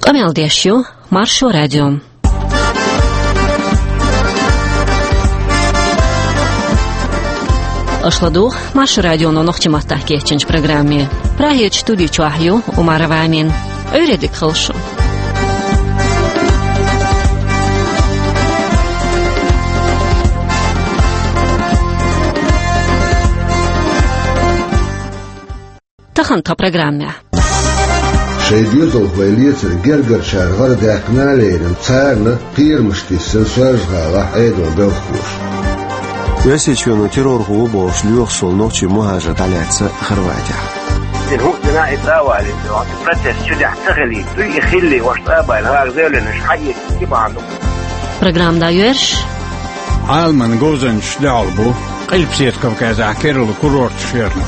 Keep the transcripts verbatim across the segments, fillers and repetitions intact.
Къамел деш ю Маршо радио. Аша ладугӀу Маршо радионо нохчийн маттахь кечйинчу программе. Прагерчу студи чохь ю Умарова Амина. Ӏуьйре дика хуьлда шун. Тахана тхан программехь. Шайн доьзалхой лецар гергарчара гӀара даьккхина а лерина, царна кхерамаш тиссина Соьлжа-ГӀалахь Ӏедалан белхалоша. Оьрсийчоьно террор гӀо бохуш лоьхуш волу нохчийн мухӀажар дӀалаьцна Хорватехь. Иза хӀух дина и цӀа а валийта, и процесс чудехь ца хилийта, дуй и хилли, ваша цӀа а баьлла, хӀара заявленеш хьаэца и бахьана ду. Программа дӀайоьрзуш. Ӏаламан говзанчаш дуьхьал бу Къилбаседа Кавказехь керла курорташ ярна.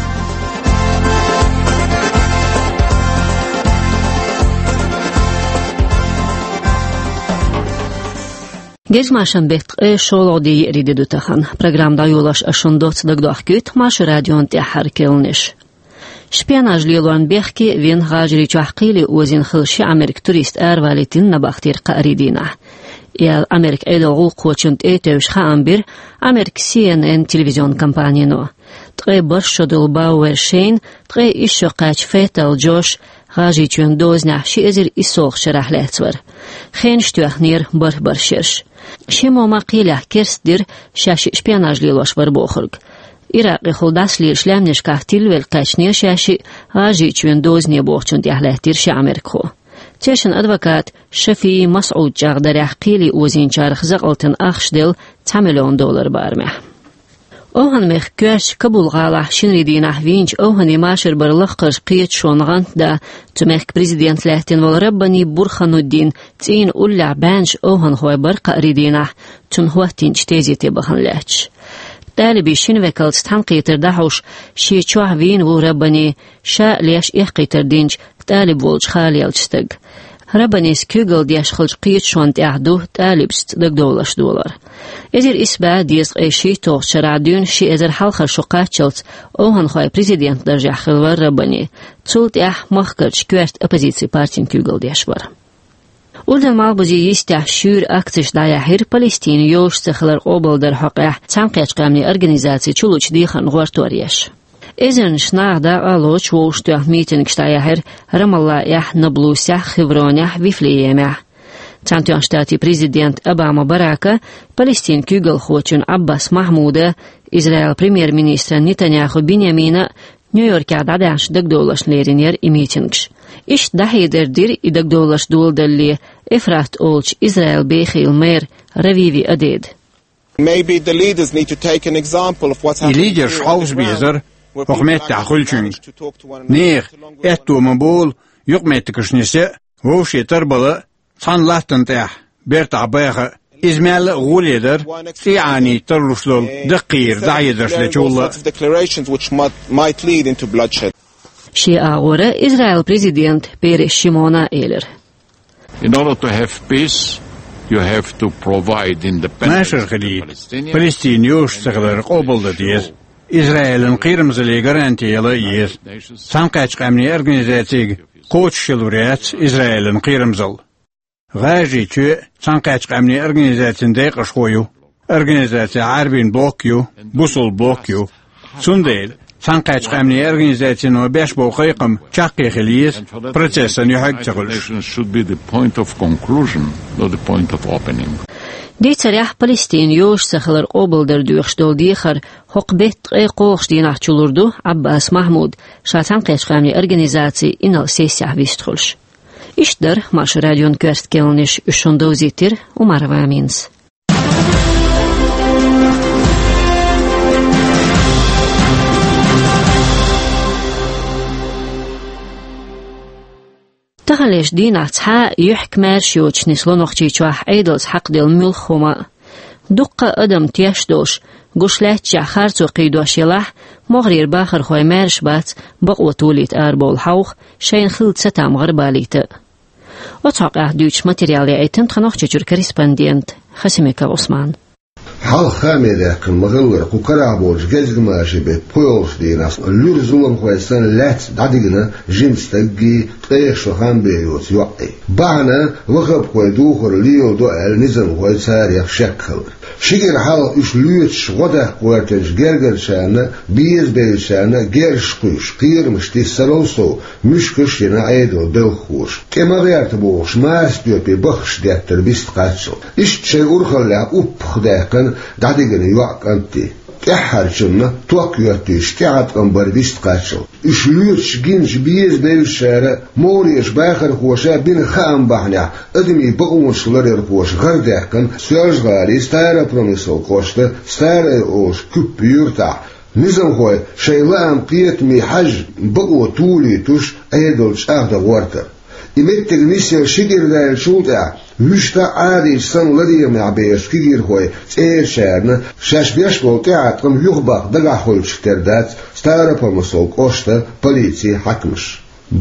Гезгмашин беттан ткъе шолгӀа де, еарин де ду тахана. Программа дӀайолош ас шуна доцца дагадохкуьйту Маршо радион тӀаьххьара керланаш. Шпионаж лелорна бехке вина ГӀажарийчохь кхеле озийна хилла ши Ӏамеркан турист аравалийтина набахтера кхаарин дийнахь. И аьлла Ӏамеркан Ӏедалан гӀуллакхочунна тӀетевжа хаам бира Ӏамеркан Си Эн Эн телевизион компанино. Ткъе бархӀ шо долу Бауэр Шейн, ткъе исс шо кхаьчна Феттал Джош ГӀажарийчоьнан дозанехь ши эзар иссолгӀачу шарахь лаьцна вара. Хенаш тоьхнера бархӀ-бархӀ шераш. Ши мо ма кхелехь керста дира, шаьш шпионаж лелош вара бохург. Иракъехула дӀасалелачу лаьмнашкахь тилла велла кхаьчнера шаьш а ГӀажарийчоьнан дозане бохучунна тӀехь лаьттира ши Ӏамеркахо. Церан адвоката Шафии МасӀуда чӀагӀдарехь, кхеле озийначарах закъалтана ахча делла цхьа миллион доллар барамехь. ОвхӀан-мехкан коьртачу Кабул-гӀалахь шинарин дийнахь вийначу ОвхӀанан машар баран лакхарчу кхеташонан гӀантда цу мехкан президент лаьттина волу Раббани Бурхануддин цӀийнан уллехь бӀеннаш овхӀанхой бара кхаарин дийнахь, цунна хӀоттийначу тезете бахана лаьтташ. ТӀалибийн шина векалца цхьаьнакхетар дӀахьош, шен чохь вийна ву Раббани, ша а леш эккхийтар динчу тӀалиб волчу халаеллачу стага. Раббанис куьйгалла деш хиллачу кхеташонна тӀехь ду тӀалибашца дагадовларш долор. Эзар исс бӀе дезткъе шийтталгӀачу шарахь дуьйна ши эзар хьалхара шо кхаччалц овхӀанхойн президентан даржехь хилла вара Раббани. Цул тӀаьхьа махкарчу коьрта оппозицин партин куьйгалла деш вара. Урдан малхбузийн йистехь шуьйра акцеш дӀаяьхьира Палестинан йозуш ца хилар къобалдаран хьокъехь Цхьаьнакхеттачу Къаьмнийн Организаци чулучу дехарна гӀортор еш. Эзарнаш наха дакъа а лоцуш вовшахтоьхна митингаш дӀаяьхьира Рамаллахехь, Наблусехь, Хевронехь, Вифлеемехь. Цхьаьнатоьхначу Штатийн президента Обама Барака, Палестинан куьйгалхочун Ӏаббас Махьмуда, Израилан премьер-министран Нетаньяху Биньямина Нью-Йоркехь дӀадаьхьначу дагадовларшна лерина яра и митингаш. Иштта дӀахьедар дира и дагадовларш доладалале Эфрат олучу Израилан бехийла мэр Равиви Адеда. Maybe the leaders need to take an example of what's И happening лидерш here on the хьовса ground. Безара хӀокху меттехь хуьлучуьнга. Нехан аьтто ма болу юкъаметтигаш нисъян, вовшийн тарбала, цхьана латтана тӀехь бертахь баха. Иза мелла а гӀоле дара, цӀий Ӏанийта тарлуш долу даккхийра дӀахьедарш лечулла. Declarations which might, might lead into bloodshed. Шен агӀора Израилан президента Перес Шимона элира. In order to have peace, you have to provide independence to the Palestinians. Машар хилийта, Палестинан йозуш ца хилар къобалдан деза. Израилан кхерамзалле гаранти яла а еза. Цхьаьнакхеттачу Къаьмнийн Организацига кхочушъялур яц Израилан кхерамзалла. ГӀажарийчоь Цхьаьнакхеттачу Къаьмнийн Организацин декъашхо ю. Организацехь Ӏаьрбийн блок ю, бусалба блок ю. Цундела Цхьаьнакхеттачу Къаьмнийн Организацино беш болу кхайкхам чаккхе хила еза, процессан юьхьиг ца хуьлуш. Should be the point of conclusion, not the point of opening. Дийцарехь, Палестинан йозуш ца хилар къобалдар доьхуш долу дехар хӀокху беттан ткъе кхоалгӀачу дийнахь чулур ду Ӏаббас Махьмуда ша Цхьаьнакхеттачу Къаьмнийн Организацин инарла сессехь вистхуьлуш. Иштта дара Маршо радион коьрта керланаш, уьш шуна довзийтира Умарова Аминас. Таханлерчу дийнахь цхьа а юьхькӀа маьрша йоцуш нисло Нохчийчохь Ӏедалца хьакхаделла муьлхха хӀума а. Дуккха а адам теш долуш, гуш лаьтташехь харцо кхийдош елахь, могӀарера бахархой маьрша бац бакъо толийта арабовла хьовха, шайна хилла цатам гӀарабалийта а. Оцу хьокъехь дуьйцуш материал яийтина тхан Нохчийчуьра корреспондента Хасимиков Ӏусмана. Хьалха хаамадаьккхина ма-хиллара, кху карахь болчу гезгмашин беттан пхоьалгӀачу дийнахь луьра зуламхой санна лаьцна дӀадигна жима стаггий, ткъех шо хан бен йоцу йоӀий. Бахьана ваххабхой духар леладо аьлла низамхой царех шек хилар. Ши кӀира хьалха уьш лоьцуш гӀо даккха гӀоьртинчу гергарчарна, безабевллачарна герзаш кхуьйсуш, кхерамаш тиссарал сов, муьшкаш а йина Ӏедалан белхахоша. ТӀе ма гӀерта бохуш, марсатоьпе баххаш деттара бист кхаччалц. Иштта шайн урхаллехь уппах даьккхина дӀадигна йоӀ, кӀант а. ТӀаьххьарчунна ток йоьттуьйтуш тӀеӀаткъам бара бист кхаччалц. Уьш лоьцуш гиначу безабевллачара а, могӀарерчу бахархоша а бина хаам бахьанехь, адамийн бакъонаш ларъярхоша гӀар даьккхина Соьлжа-ГӀалин Старопромыслан кӀоштан Старое олучу Куьппа юьртахь. Низамхой шайн лаам-кхетаме хьажа, бакъо толуьйтуш, Ӏедал чӀагӀдан гӀортар. И меттиг нисъелла ши кӀира даьллачул тӀаьхьа, вуьшта а Ӏадийча санна ладегӀамехь берш кегийрхой цӀерачарна шаьш беш болу тӀеӀаткъам юхабаккха дагахь хуьлучух тера дац Старопромыслан кӀоштан полицин хьаькамаш.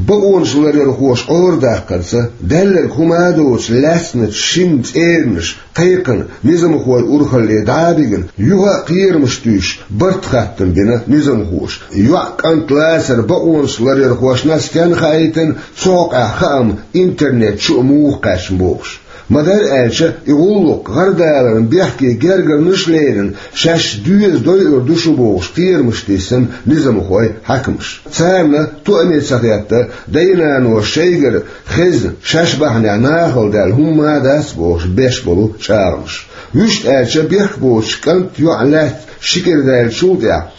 Бакъонаш ларъярхоша Ӏорадаккхарца, даьлларг хӀума а доцуш, лаьцначу шина цӀеранаш кхайкхина, низамхойн урхалле дӀа а бигна, юха а кхерамаш туьйсуш, барт хаттам бина низамхоша. ЙоӀ-кӀант лацар бакъонаш ларъярхошна стенна хаийтина, цу хьокъехь хаам интернет чу а муха кхаьчна бохуш. Ма-дарра аьлча, и гӀуллакх гӀардаларна бехке гергарнаш а лерина, шаьш доьза дойур ду шу бохуш, кхерамаш тиссина низамхой, хьаькамаш. Царна тоаме ца хетта, дай-наной шайгара хезна, шаьш бахьанехь нахала даьлла хӀумма а дац бохуш беш болу чӀагӀамаш. Вуьшта аьлча, бехк боцуш кӀант, йоӀ лаьцна ши кӀира даьллачул тӀаьхьа,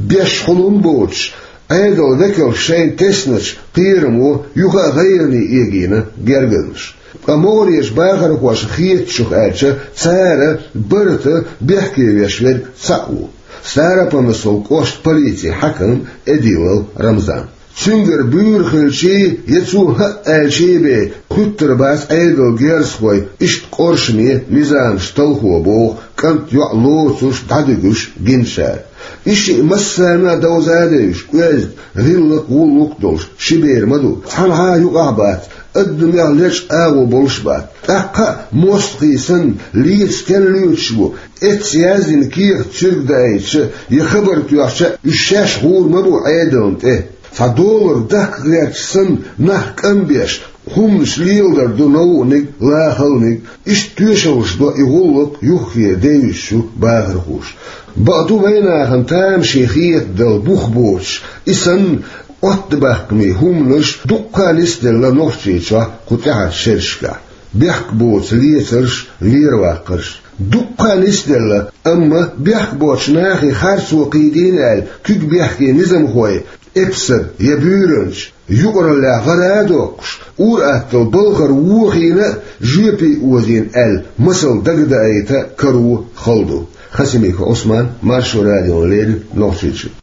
беш хьулам боцуш, Ӏедалан векалша шайна тесначу кхерамо юха а гӀайгӀане эгийна гергарнаш. Ткъа могӀарерчу бахархошна хетачух аьлча, цара барта бехке веш верг цхьаъ ву: Старопромыслан кӀоштан полицин хьаькам Эдилов Рамзан. Цуьнгара буьйра хилчий я цо хӀаъ аьлчий бен, хуьттур бац Ӏедалан герзахой иштта къоршаме низамаш талхо боху кӀант, йоӀ лоцуш, дӀадуьгуш гиначара. И шиъ массарна а довза а девзаш, оьзда, гӀиллакх, гӀуллакх а долуш ши бер ма ду. Цхьанхьа а юкъахь а бац, адамех лечкъа агӀо болуш а бац. ТӀаккха а, мостагӀий санна, леца стенна лоьцуш бу? Эцца яздина кехат цуьрга даийтича я хабар тоьхча, уьш шаьш гӀур ма бу Ӏедална тӀе. Цхьа долара дахка гӀерташ санна, нах къанбеш, хӀуманаш леладар ду новкъаниг, лахалниг. Иштта тоьшаллаш до и гӀуллакх юххера девзачу бахархоша. Бакъду, вайнахана тамашийна хетадала бух боцуш, и санна оттабаьккхинчу хӀуманаш дуккха а нисделла Нохчийчохь кху тӀаьхьарчу шерашкахь. Бехк боцу лецарш, лераваккхарш. Дуккха а нисделла, амма бехк боцчу нахе харцо кхийдийна аьлла, куьг бехке низамхой эпсар я буьйранча, юкъараллехь гӀара а доккхуш, ур-атталла балхара вохийна а, жоьпе озийна аьлла, масал дагадаийта каро хала ду. Хасимиков Ӏусман, Маршо радиона леррина, Нохчийчуьра.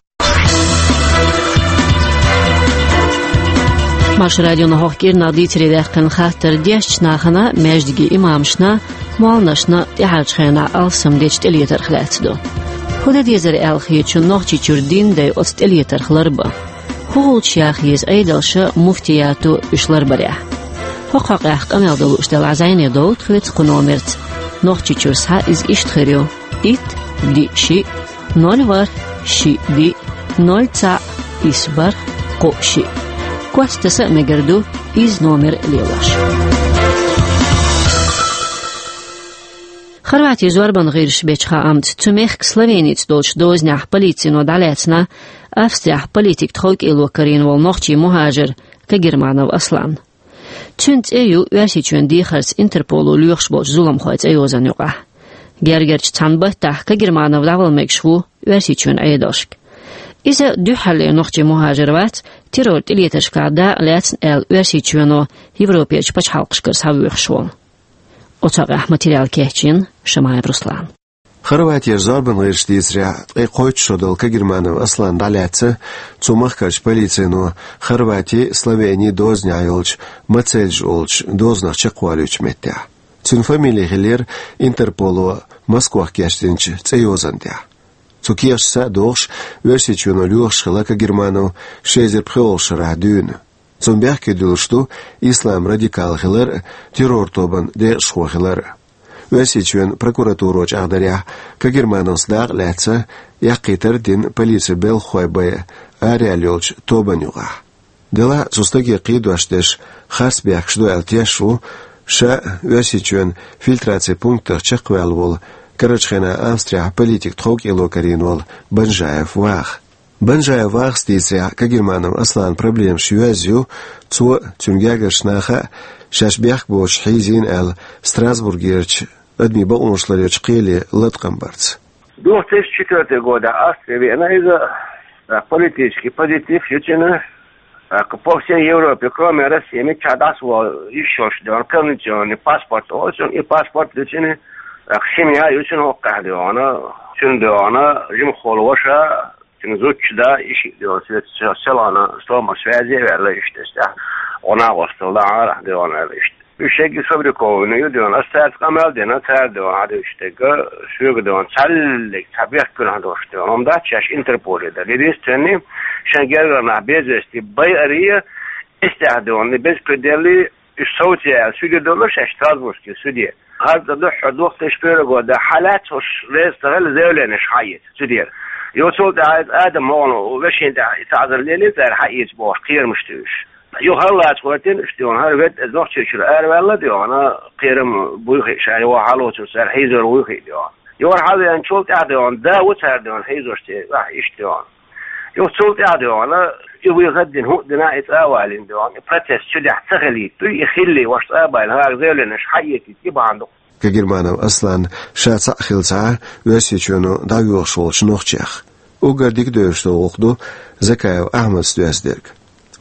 Маршо радиона хӀокху кӀирнах дийцаре даьккхина хаттар дешначу нахана, маьждигийн имамашна, молланашна тӀаьхьарчу хенахь алсам дечу тӀелетарх лаьцна ду. ХӀун дан дезара аьлла хетачунна Нохчийчуьра дин дай оцу тӀелетарх ларбан? ХӀун гӀулчаш яха еза Ӏедалша, муфтиято уьш ларбарехь? ХӀокху хьокъехь къамел дан лууш делахь, зӀене довла тхоьца кху номерца. Нохчийчуьра схьа иза иштта хир ю: итт, диъ, шиъ, ноль, ворхӀ, шиъ, диъ, ноль, цхьаъ, исс, бархӀ, кхоъ, шиъ. Кост таса а мегар ду иза номер лелош. Хорватин зорбан гӀирсаша бечу хаамца, цу мехкан Словеница долчу дозанехь полицино дӀалаьцна Австрехь политикан тховкӀело карийна волу нохчийн мухӀажар Кагерманов Аслан. Цуьнан цӀе ю Оьрсийчоьнан дехарца Интерполо лоьхуш болчу зуламхойн цӀейозанна юкъахь. Гергарчу цхьана баттахь Кагерманов дӀавала мегаш ву Оьрсийчоьнан Ӏедалшка. Иза дуьххьарлера нохчийн мухӀажар вац, террор тӀелетаршкахь дакъа лаьцна аьлла, Оьрсийчоьно Европерчу пачхьалкхашкара схьавоьхуш волу. Оцу хьокъехь материал кечйина Шамаев Руслана. Хорватера зорбан гӀирсаша дийцарехь, ткъе кхойтта шо долу Кагерманов Аслан дӀалаьцна цу махкарчу полицино Хорвати, Словени дозанехь йолчу Мацельж олучу дозанах чекхволуьйтучу меттехь. Цуьнан фамили хиллера Интерполо Москвахь кечдинчу цӀейозанна тӀехь. Цу кехаташца а догӀуш, Оьрсийчоьно лоьхуш хилла Кагерманов ши эзар пхоьалгӀачу шарахь дуьйна. Цунна бехке дуьллуш ду ислам радикал хилар а, террор тобанан декъашхо хилар а. Оьрсийчоьнан прокуратуро чӀагӀдарехь, Кагермановс дакъа лаьцна эккхийтар а дина полицин белхахой байъа араяьлла йолчу тобанна юкъахь. Делахь а цу стаге кхин дош деш, харц бехкаш ду аьлла тешаш ву ша а Оьрсийчоьнан фильтрацин пунктах чекхваьлла волу, карарчу хенахь Австрехь политикан тховкӀело карийна волу Банжаев Ваха. Банжаев Вахас дийцарехь, Кагерманов Асланан проблемаш йоьзна ю, цо а, цуьнан гергарчу наха а шаьш бехк боцуш хьийзийна аьлла, Страсбургерчу адамийн бакъонаш ларъечу кхеле латкъам барца. Две тысячи четвёртый года Австрия веана иза, а, политический позитив ю цуьнан, а, по всей Европе, кроме России, миччахь дӀасавала йиш йолуш, дуьйна, конвенционный паспорт олу цуьнан, и паспорт ю цуьнан, а, семья ю цуьнан хӀокхуьнан, дуьйна, цуьнан, дуьйна, жимахволу ваша, цуьнан зудчун да, и шиъ, дуьйна, соьца селхана стомма связе а ваьлла иштта, тӀехь гӀо накъосталла дан Ӏарахь, дуьйна, аьлла иштта. Уьш шегга сфабрикованный ю, дуьйна. Аса цаьрца къамел дина, цара, дуьйна, хьан дуьйцу стегга, соьга, дуьйна, цхьаьллиг цхьа бехк куьнахь долуш, дуьйна, хӀума дац шаьш Интерполе дала. Единственный, шайн гергара нах без вести байаре, эстехь, дуьйна, без предели, уьш совцаялла суьде долуш шаьш Страсбургский суьде. ХӀара цӀа дуьххьара две тысячи первый года хьалаьцна, уьш реза ца хилла, заявленеш хьаэца суьдера. Йо, цул тӀаьхьа иза адам могӀано вешин тӀехь и таӀзар лелийна цара хьаэца бохуш, кхерамаш туьйсуш. Юха хӀара лаца гӀоьртина уьш, дуьйна, хӀара ветта, иза Нохчийчуьра араваьлла, дуьйна, кхерам буй хиъ шайна, юха хьалоцург цара хьийзор вуй хиъ, дуьйна. Юха хьавеанчул тӀаьхьа, дуьйна, да ву цара, дуьйна, хьийзош церан, ахь иштта, дуьйна. Юха цул тӀаьхьа, дуьйна, и вуй хаддина хӀуъа дина, и цӀа а валийна, дуьйна, и процесс цу тӀехь ца хилийта дуй, и хилли, ваша цӀа а баьлла, хӀара заявленеш хьаэцийта, и бахьана ду. Кагерманов Аслан ша цхьаъ хилла ца Ӏа Оьрсийчоьно дӀавоьлхуш волчу нохчех. Уггар дика девзаш долу гӀуллакх ду Закаев Ахьмадс доьзна дерг.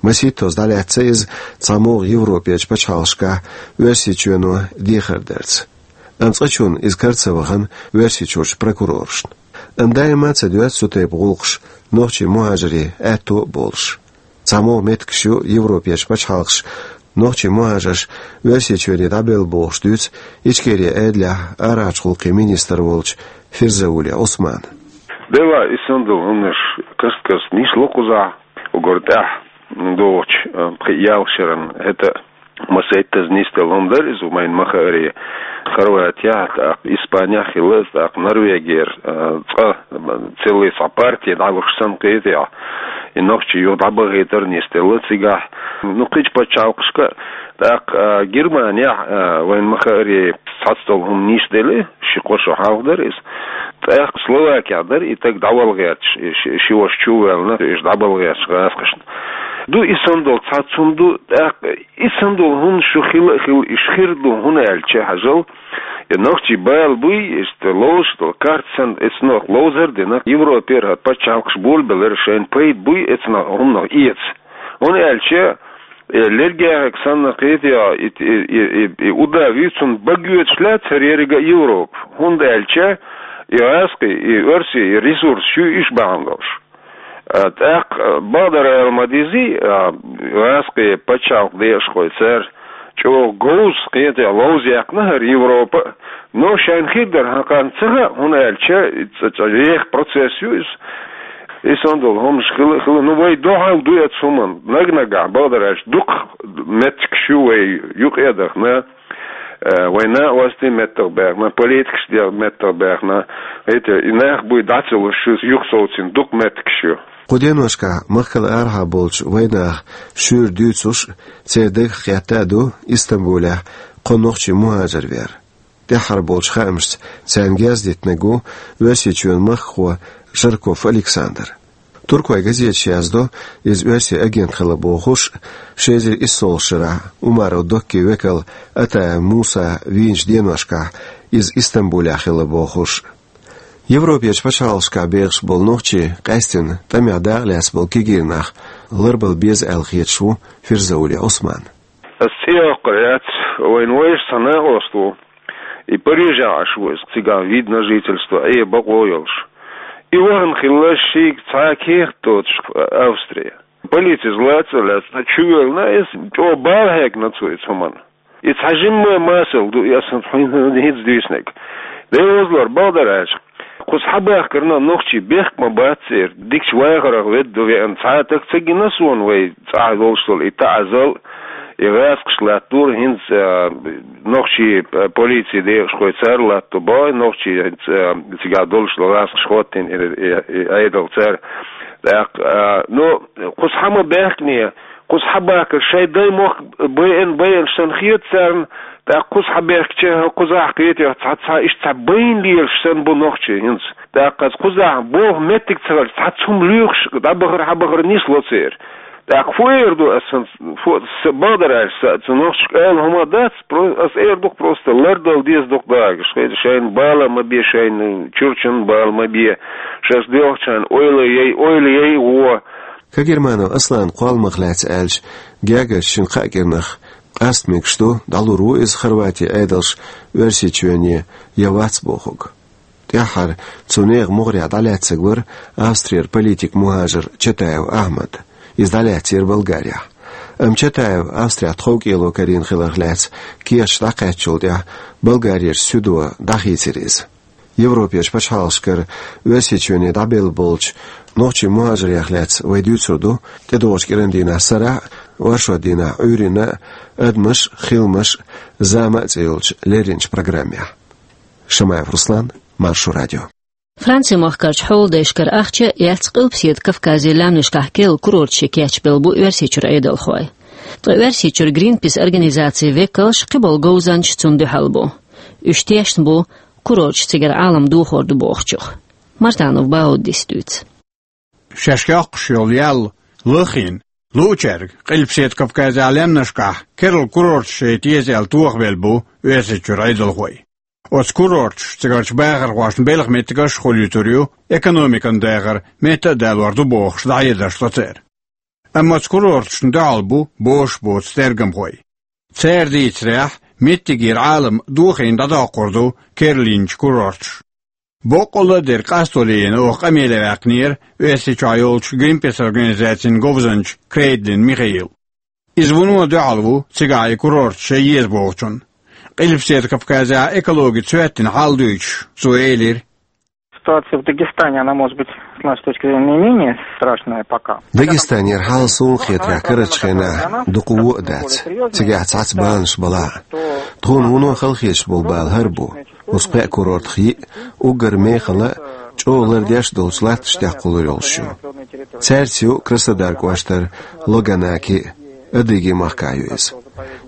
Масийттаза дӀалаьцна иза цхьамогӀа Европерчу пачхьалкхашкахь Оьрсийчоьно дехар дарца. Амма цкъачунна иза кара ца вахана Оьрсийчуьрчу прокурорашна. Амма даима а ца доьзна цу тайпа гӀуллакхаш нохчийн мухӀажарийн аьтто а болуш. ЦхьамогӀа меттигаш ю Европерчу пачхьалкхаша нохчийн мухӀажарш Оьрсийчоьне дӀабелла бохуш, дуьйцу Ичкерин Ӏедалехь арахьарчу гӀуллакхийн министр волчу Фирзаули Ӏусмана. Делахь, и санна долу хӀуманаш каст-каста нисло кхузахь, уггар тӀаьхьа догӀучу, а, пхи-ялх шеран хӀета масийттаза нисделла хӀума дара иза, вайна ма-хаъара, Хорватехь, тӀаккха Испанехь хилла иза, тӀаккха Норвегера, а, цкъа, а, целый цхьа парти дӀалуш санна, кхетий ахь, и нохчий юха дӀабахийтар а нисделла цигахь. Ну, кхечу пачхьалкхашка, тӀаккха, а, Германехь, а, вайна ма-хаъара, цхьацца долу хӀума нисделла, ши-кхо шо хьалха дара иза. ТӀаккха Словакехь дара и таг дӀавала гӀерташ, и ши, ши ваша чу а ваьлла, уьш дӀабала гӀерташ гӀазкхашна. Ду и санна долу цхьацца хӀума ду, тӀаккха и санна долу хӀума шу хила а хила, уьш хир ду, хӀунда аьлча хьажал, и нохчий бала буй, иштта ловзуш долу карта санна, эцнах ловзар а дина, Европера хӀара пачхьалкхаш болабелира шайна пайда буй эцнах хӀуманах эца. ХӀунда аьлча, э, лергехьиг санна, кхетий ахь, и, и, и, и, и удавий цунна бага йоьдуш лаьцна хӀара еррига а Европа. ХӀунда аьлча и гӀазкхий, и оьрсий, и ресурс ю иш бахьана долуш. А, тӀаккха, а, бакъдар ала ма дезий, а, гӀазкхий пачхьалкх декъашхой цара чӀогӀа говза, кхетий ахь, ловза яьккхина хӀара Европа а, но шайна хир дар хьан кхарна ца хаьа, хӀунда аьлча и цӀа, цӀа еха процесс ю иза. И санна долу хӀуманаш хила, хила, ну, вай дуьхьал ду эцу хӀуманна, наг-нагахь, бакъдар аьлча, дукха меттигаш ю вай юкъа а дахана, э, вай накъостий меттах баьхна, политикаш де-, меттах баьхна, эта, и нах буй дӀа ца луш, шу юха совцийна дукха меттигаш ю. Кху деношкахь махкал арахьа болчу вайнаха шуьйра дуьйцуш, церан дагах кхетта а ду Истамбулехь кхо нохчий мухӀажар вер. ТӀаьххьара болчу хаамашца царна герз диттинарг ву Оьрсийчоьнан махкахо Жарков Александр. Туркойн газеташ яздо, иза оьрсийн агент хилла бохуш, ши эзар иссолгӀачу шарахь Умаров Доккин векал Атаев Муса вийначу деношкахь иза Истамбулехь хилла бохуш. Европерчу пачхьалкхашкахь бехаш болу нохчий къаьсттина тӀамехь дакъа лаьцна болу кегийрхой ларбала беза аьлла хеташ ву Фирзаули Ӏусман. Ас цӀе йоккхур яц, вайн вайша цхьа накъост ву, и Парижехь Ӏаш ву иза, цигахь вид на жительство Ӏе бакъо йолуш. И вахана хилла шийга цхьа а кехат доцуш Австрия. Полицис лаца а лаьцна, чувоьллина иза, чӀогӀа бала хьегна цо и цу хӀуманна. И цхьа жимма масал ду, и аса хьуна хӀинца дуьйцинарг. Дела везалора, бакъдар аьлча, кхуза хьабахкарна нохчий бехк ма бац церан, дикачу вахарх ведда ду веана, цхьа а таг ца гина суна вай цӀахь долуш долу и таӀзар, и гӀазкхаш латтор хӀинца, а, Нохчий, э, полици декъашхой цар латту бой, нохчий, э, цигахь долуш ласкаш хоттин и, и, и айдал цар. Так, э, ну, кхуза хьама бехкне, кхуза хьабаккар, шайн дай мохк байан, байан сан хет царна, так, кхуза хьабехкча, кхузахь кхетех цхьа, цхьа, иштта цхьа байна лелаш сан бу нохчий, хӀинца. Так, кхуза кхузахь болх меттиг ца хилча, цхьа цум лоьхуш, дӀабахар, хьабахар нисло церан. ТӀаккха фу эр ду ас, сан фу, сан бакъдар аьлча, сан, сан нохчашка ала хӀума дац, про-, ас эр ду-кх просто, лардала деза ду-кх дагаш, хӀета шайна бала ма бе, шайна чурчун бала ма бе, шаьш доьлхучарна ойла яй, ойла яй гӀо. Кагерманов Аслан кхолламах лаьцна аьлча, гергарчу шина кхаа кӀирнах къаста мегаш ду, дӀалур ву иза Хорватин Ӏедалш Оьрсийчоьне я вац бохург. ТӀаьххьара цу нехан могӀарехь дӀалаьцнарг вара Австрера политик-мухӀажар Чатаев Ахьмад. Иза дӀалаьцнера Болгарехь. Амма Чатаев Австрехь тховкӀело карийна хиларх лаьцна кехаташ дӀакхаьчначул тӀаьхьа Болгарерчу суьдо дӀахийцира иза. Европерчу пачхьалкхашкара Оьрсийчоьне дӀабелла болчу нохчийн мухӀажарех лаьцна вай дуьйцур ду тӀедогӀучу кӀиран дийнахь сарахь а, оршот дийнахь Ӏуьйранна а, «Адамаш а, хиламаш а, зама а» цӀе йолчу лерринчу программехь. Шамаев Руслан, Маршо радио. Францин махкарчу хьоладайшкара ахча а эцна, Къилбаседа Кавказе лаьмнашкахь керла курорташ кечбелла бу Оьрсийчуьра Ӏедалхой. Ткъа Оьрсийчуьра Гринпис организацин векалш, кхиболу говзанчаш цунна дуьхьал бу. Уьш тешна бу, курорташ цигара Ӏалам дохор ду бохучух. Мартанов Бауддис дуьйцу. Шаьш йоккхуш йолу ял лахийна, луучаьрга Къилбаседа Кавказехь лаьмнашкахь керла курорташ яйта еза аьлла тохабелла бу Оьрсийчуьра Ӏедалхой. Оцу курорташа цигарчу бахархошна белхан меттигаш а хуьлуьйтур ю, экономикан дахар метта а далор ду бохуш, дӀахьедарш до церан. Амма оцу курорташна дуьхьал бу бозуш боцу тергамхой. Церан дийцарехь, меттигера Ӏалам дохийна дӀадоккхур ду керлайинчу курорташа. Боккъалла а дерг къасто лиъна оха къамеле ваьккхинера Оьрсийчохь йолчу Гринпис организацин говзанча Крейдлин Михаила. Иза вуно дуьхьал ву цигахь и курорташ яйта еза бохучунна. Къилбаседа Кавказехь экологи цоьттина хьал дуьйцуш, цо элира: Ситуация в Дагестане, она может быть, с нашей точки зрения, не менее страшная пока. Дагестанера хьал суна хетарехь карарчу хенахь дукха вон а дац, цигахь цхьацца баланаш балахь а. Тхуна вуно халахеташ болу бала хӀара бу. Оцу кхаа курортах йиъ, уггар мехала а, чӀогӀа лардеш а долчу латтанаш тӀехь кхуллур йолуш ю. Цаьрца ю Краснодар кӀоштара Лаганаки а, Адыги махкахь ю иза.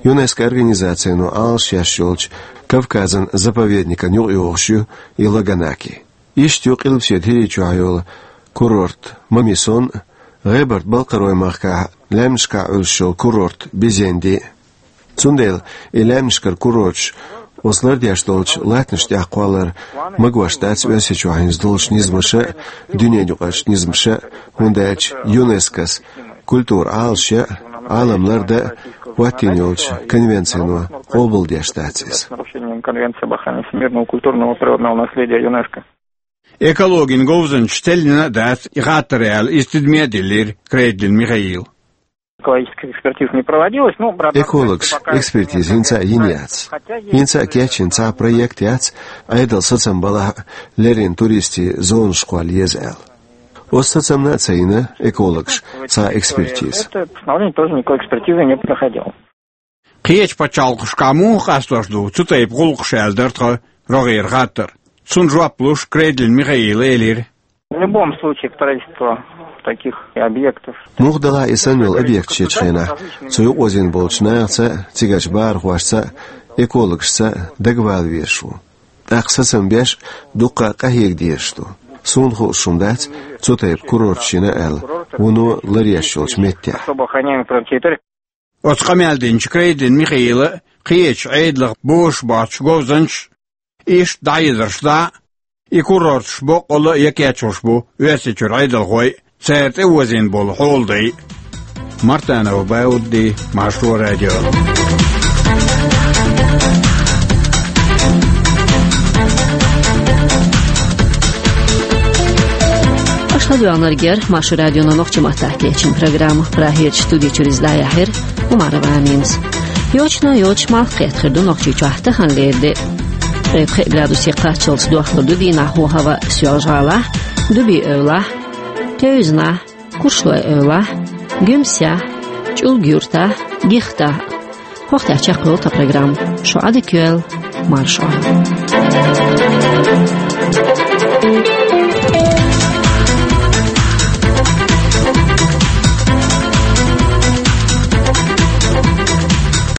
ЮНЕСКО организацино Ӏалашъеш йолчу Кавказан заповедникан юкъайогӀуш ю и Лаганаки. Иштта ю Къилбаседа ХӀирийчохь йолу курорт Мамисон а, ГӀебарта-Балкхаройн махкахь лаьмнашкахь Ӏуьллуш йолу курорт Бизенди а. Цундела и лаьмнашкара курорташ оцу лардеш долчу латтанаш тӀехь кхоллар магош дац Оьрсийчохь хӀинца долчу низамаша а, дуьненаюкъарчу низамаша а, хӀунда аьлча ЮНЕСКОс культура Ӏалашъян а, Ӏалам лардан а хӀоттийна йолчу конвенцино къобалдеш дац иза. С нарушением Конвенции об охране всемирного культурного природного наследия ЮНЕСКО. Экологин говзанчаш теллина а дац и хаттар аьлла, иза тидаме а диллира Крейдлин Михаила. Экологических экспертиз не проводилось, ну, правда, Экологаш пока экспертиза хӀинца а йина яц. ХӀинца а кечйина цхьа проект яц, Ӏедалан сацам балахь а, леррина туристийн зонаш кхолла еза аьлла. Оцу сацамна а ца йина экологаша цхьа экспертиза. Это постановление тоже никакой экспертизы не проходило. Кхечу пачхьалкхашкахь муха къастош ду цу тайпа гӀуллакхаш, аьлла дара тхан рогӀера хаттар. Цунна жоп луш, Крейдлин Михаила элира: В любом случае, строительство таких объектов. Муха делахь а и санна йолу объекташ ечу хенахь, цу юкъаозийна болчу нахаца а, цигарчу бахархошца а, экологашца а дагавала везаш ву. ТӀаккха сацам беш, дуккха а къахьега дезаш ду. Суна хууш хӀума дац цу тайпа курорташ йина аьлла, вуно ларъеш йолчу меттехь. Особо охраняемых природных территорий. Оцу къамел динчу Крейдлин Михаила а, кхечу Ӏедалх бозуш боцчу говзанчаша а иштта дӀахьедарш дӀа а, и курорташ боккъалла а якхеташ бу Оьрсийчуьра Ӏедалхой а, цара тӀеозийна болу хьоладай а. Мартанов Баудди, Маршо радио. Аша ладоьгӀнарг яра Маршо радионо нохчийн маттахь кечйина программа. Прагерчу студи чуьра иза дӀаяьхьира Умарова Аминас. Йочана йоцуш малх кхетта хир ду Нохчийчохь таханлера де. Ткъе пхи градусе кхаччалц дохлур ду дийнахь хӀаваъ Соьлжа-ГӀалахь, Дуби-Эвлахь, Тевзанахь, Куршлой-Эвлахь, Гуьмсехь, ЧӀулга-Юьртахь, Гихтахь. Вахтар чакхйола тха программа. Шо Ӏадика йойла, маршо.